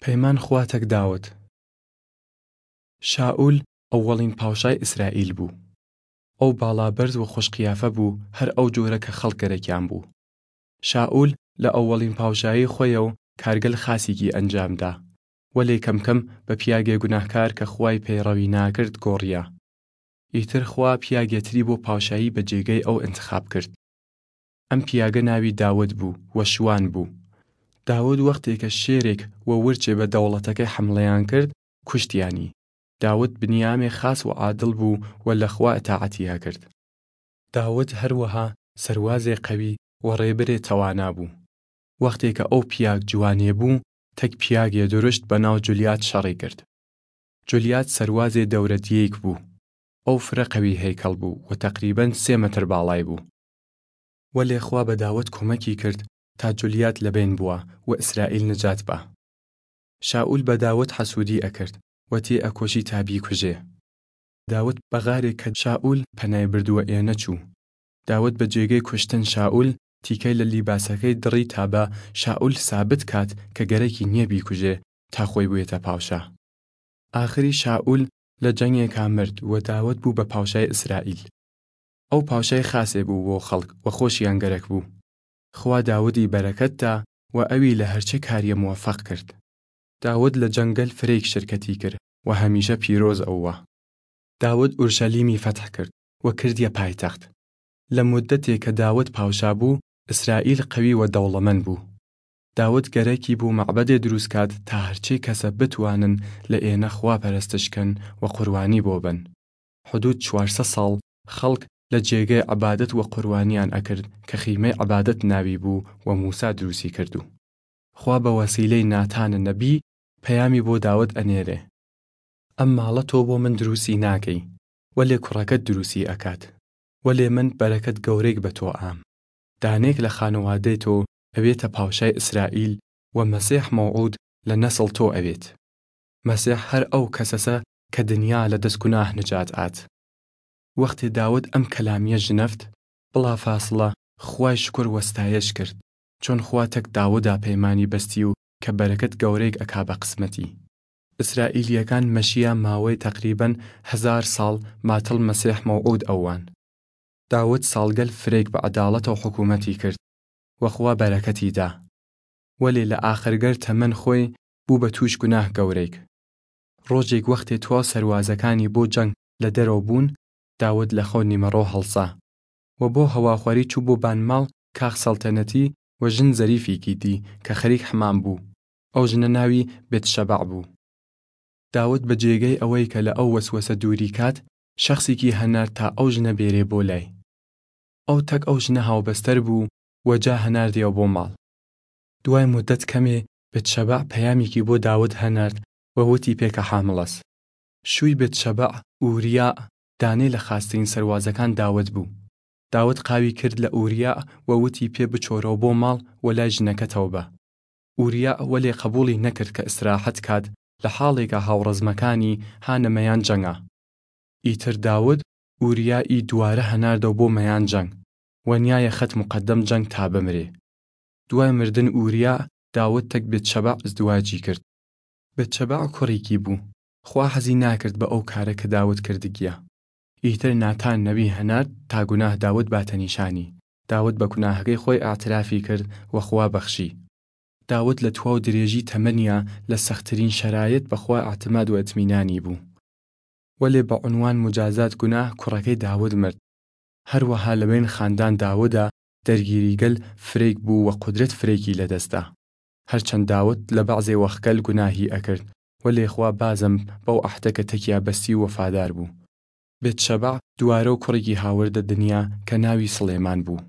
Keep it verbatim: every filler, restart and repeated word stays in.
پەیمان خوا تەک داود. شائول ئەوەڵین پاوشای ئیسرائیل بۊ. ئەو باڵا بەرز و خوەش قیافە بۊ، هەر ئەو جوورە کە خەڵک گەرەکیان بۊ. شائول لە ئەوەڵین پاوشایی خوەیەو کارگەل خاسیگی ئەنجام دا، وەلێ کەمکەم بە پیاگێ گوناهکار کە خوای پەیڕەوی ناکرد گۆڕیا. ئیتر خوا پیاگێ تری بۆ پاوشایی بە جێگەی ئەو ئنتخاب کرد. ئەم پیاگە ناوی داود بۊ و شوان بۊ. داود وەختێ کە شێرێک و ورچێ بە دەوڵەتەکەی حەمڵەیان کرد، کوشتیانی. داود بنیامێ خاس و عادڵ بۊ و لە خوا ئتاعەتیا کرد. داود هەر وەها سەروازێ قەوی و ڕێبرێ تەوانا بۊ. وەختێ کە ئەو پیاگ جوانێ بۊ، تەک پیاگێ درشت بە ناو جولیات شەڕی کرد. جولیات سەروازێ دەورەدیەیک بۊ. ئەو فرە قەوی هەیکەڵ بۊ و تەقریبەن سێ مەتر باڵای بۊ. وەلێ خوا بە داود کومەکی کرد تا جولیات لە بەین بوە و ئیسرائیل نجات با. شائول بە داود حەسوودی ئەکرد و تێ ئەکوشی تا بیکوژێ. داود بە غارێ کە شائول پەنای بردوە ئێنە چوو. داود بە جێگەی کوشتن شائول تیکەی لە لیباسەکەی دڕی تا بە شائول سابت کات کە گەرەکی نیە بیکوژێ تا خوەی بوێتە پاوشا. ئاخری شائول لە جەنگێکا مرد و داود بۊ بە پاوشای ئیسرائیل. ئەو پاوشای خاسێ بۊ بۆ خەڵک و خوەشیان گەرەک بۊ. خوا داودی بەرەکەت دا و ئەوی لە هەرچێ کاریە موەفەق کرد. داود لە جەنگەل فرەیگ شرکەتی کرد و هەمیشە پیرۆز ئەوە. داود ئورشەلیمی فەتح کرد و کردیە پایتەخت. لە مودەتێ کە داود پاوشا بۊ، ئیسرائیل قەوی و دەوڵەمەن بۊ. داود گەرەکی بۊ مەعبەدێ دروس کات تا هەرچێ کەسە بتوانن لە ئێنە خوا پەرەستش کەن و قوربانی بۆ بەن. حدوود چوار سەد ساڵ خەڵک لە جێگەی عبادەت و قوربانیان ئەکرد کە خیمەی عبادەت ناوی بۊ و موسا دروسی کردۊ. خوا بە وەسیلەی ناتانە نەبی پەیامی بۆ داود ئەنێرێ: ئەم ماڵە تۆ بۆ من دروسی ناکەی، وەلێ کوڕەکەت دروسی ئەکات. وەلێ من بەرەکەت گەورەیگ بە تۆ ئام. دانێگ لە خانەوادەی تۆ ئەوێتە پاوشای ئیسرائیل و مەسیح مەوعوود لە نەسڵ تۆ ئەوێت. مەسیح هەر ئەو کەسەسە کە دنیا لە دەس گوناه نجات ئات. وەختێ داود ئەم کەلامیە ژنەفت، بڵافاسڵە خوای شکر و ستایش کرد، چۆن خوا تەک داودا پەیمانی بەستی و کە بەرەکەت گەورەیگ ئەکا بە قسمەتی. ئیسرائیلیەکان مەشیا ماوەی تەقریبەن هەزار ساڵ ماتڵ مەسیح مەوعوود ئەوان. داود ساڵگەل فرەیگ بە عەداڵەتەو حکوومەتی کرد و خوا بەرەکەتی دا. وەلێ لە ئاخرگەر تەمەن خوەی بۊ بە تووش گوناه گەورەیگ. ڕۆژێگ وەختێ تواو سەروازەکانی بۆ جەنگ لە دەرەو بۊن، داود لە خەو نیمەڕۆ هەڵسا و بۆ هەواخوەری چوو بۆ بان ماڵ کاخ سەڵتەنەتی و ژن زەریفیکی دی کە خەریک حمام بۊ. ئەو ژنە ناوی بێتشەبع بۊ. داود بە جێگەی ئەوەی کە لە ئەو وەسوەسە دووری کات، شەخسیکی هەنارد تا ئەو ژنە بێرێ بۆ لای. ئەو تەک ئەو ژنە هاوبەستەر بۊ و جا هەناردیەوە بۆ ماڵ. دوای مودەت کەمێ بێتشەبع پەیامیکی بۆ داود هەنارد و وتی پێ کە حامڵەس. شوی بێتشەبع ئوریا دانێ لە خاسترین سەروازەکان داود بۊ. داود قاوی کرد لە ئوریا و وتی پێ بچۆرەوە بۆ ماڵ و لای ژنەکەتەوە بە. ئوریا وەلێ قەبووڵی نەکرد کە ئیسراحەت کات لە حاڵێکا هاوڕەزمەکانی هانە مەیان جەنگا. ئیتر داود ئوریا ئی دووارە هەناردەو بۆ مەیان جەنگ و نیایە خەت مقەدەم جەنگ تا بمرێ. دوای مردن ئوریا، داود تەک بێتشەبع ئزدواجی کرد. بێتشەبع کوڕیکی بۊ. خوا حەزی ناکرد بە ئەو کارە کە داود کردگیە. ئیتر ناتان نەبی هەنارد تا گوناه داود باتە نیشانی. داود بە گوناهەکەی خوەی ئەعترافی کرد و خوا بەخشی. داود لە تواو درێژی تەمەنیا لە سەخترین شەرایەت بە خوا ئەعتماد و ئتمینانی بۊ. وەلێ بە عونوان موجازات گوناه کوڕەکەی داود مرد. هەر وەها لە بەین خاندان داودا دەرگیریگەل فرەیگ بۊ و قودرەت فرەیگی لە دەس دا. هەرچەن داود لە بەعزێ وەخگەل گوناهی ئەکرد، وەلێ خوا بازم بەو عەهدە کە تەکیا بەستی وەفادار بۊ. بێتشەبع دووارەو کوڕیگی هاوردە دنیا کە ناوی سڵێمان بۊ.